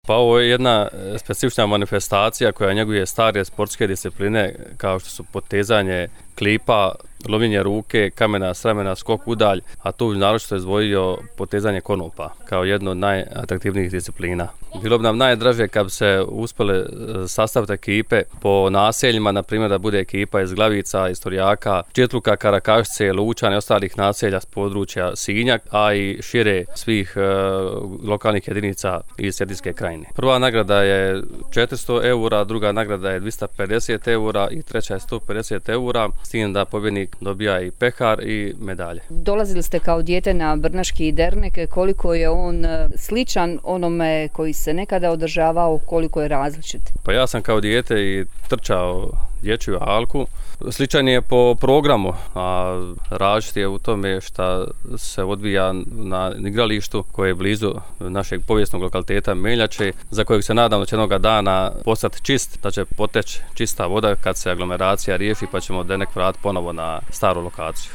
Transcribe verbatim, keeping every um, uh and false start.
Pa ovo je jedna specifična manifestacija koja njeguje stare sportske discipline kao što su potezanje klipa, lovljenje ruke, kamena s ramena, skok udalj, a tu naročito je izdvojio potezanje konopa kao jedno od najatraktivnijih disciplina. Bilo bi nam najdraže kad bi se uspjele sastaviti ekipe po naseljima, na primjer da bude ekipa iz Glavica, iz Torjaka, Četluka, Karakašice, Lučana i ostalih naselja s područja Sinja, a i šire svih e, lokalnih jedinica iz Cetinske krajine. Prva nagrada je četiristo eura, druga nagrada je dvjesto pedeset eura i treća je sto pedeset eura, s tim da pobjednik dobija i pehar i medalje. Dolazili ste kao dijete na Brnaški dernek, koliko je on sličan onome koji se nekada održavao, koliko je različit? Pa ja sam kao dijete i trčao dječju alku. Sličan je po programu, a različit je u tome što se odvija na igralištu koje je blizu našeg povijesnog lokaliteta Meljače, za kojeg se nadam da će jednoga dana postati čist, da će poteći čista voda kad se aglomeracija riješi pa ćemo denek vratiti ponovo na staru lokaciju.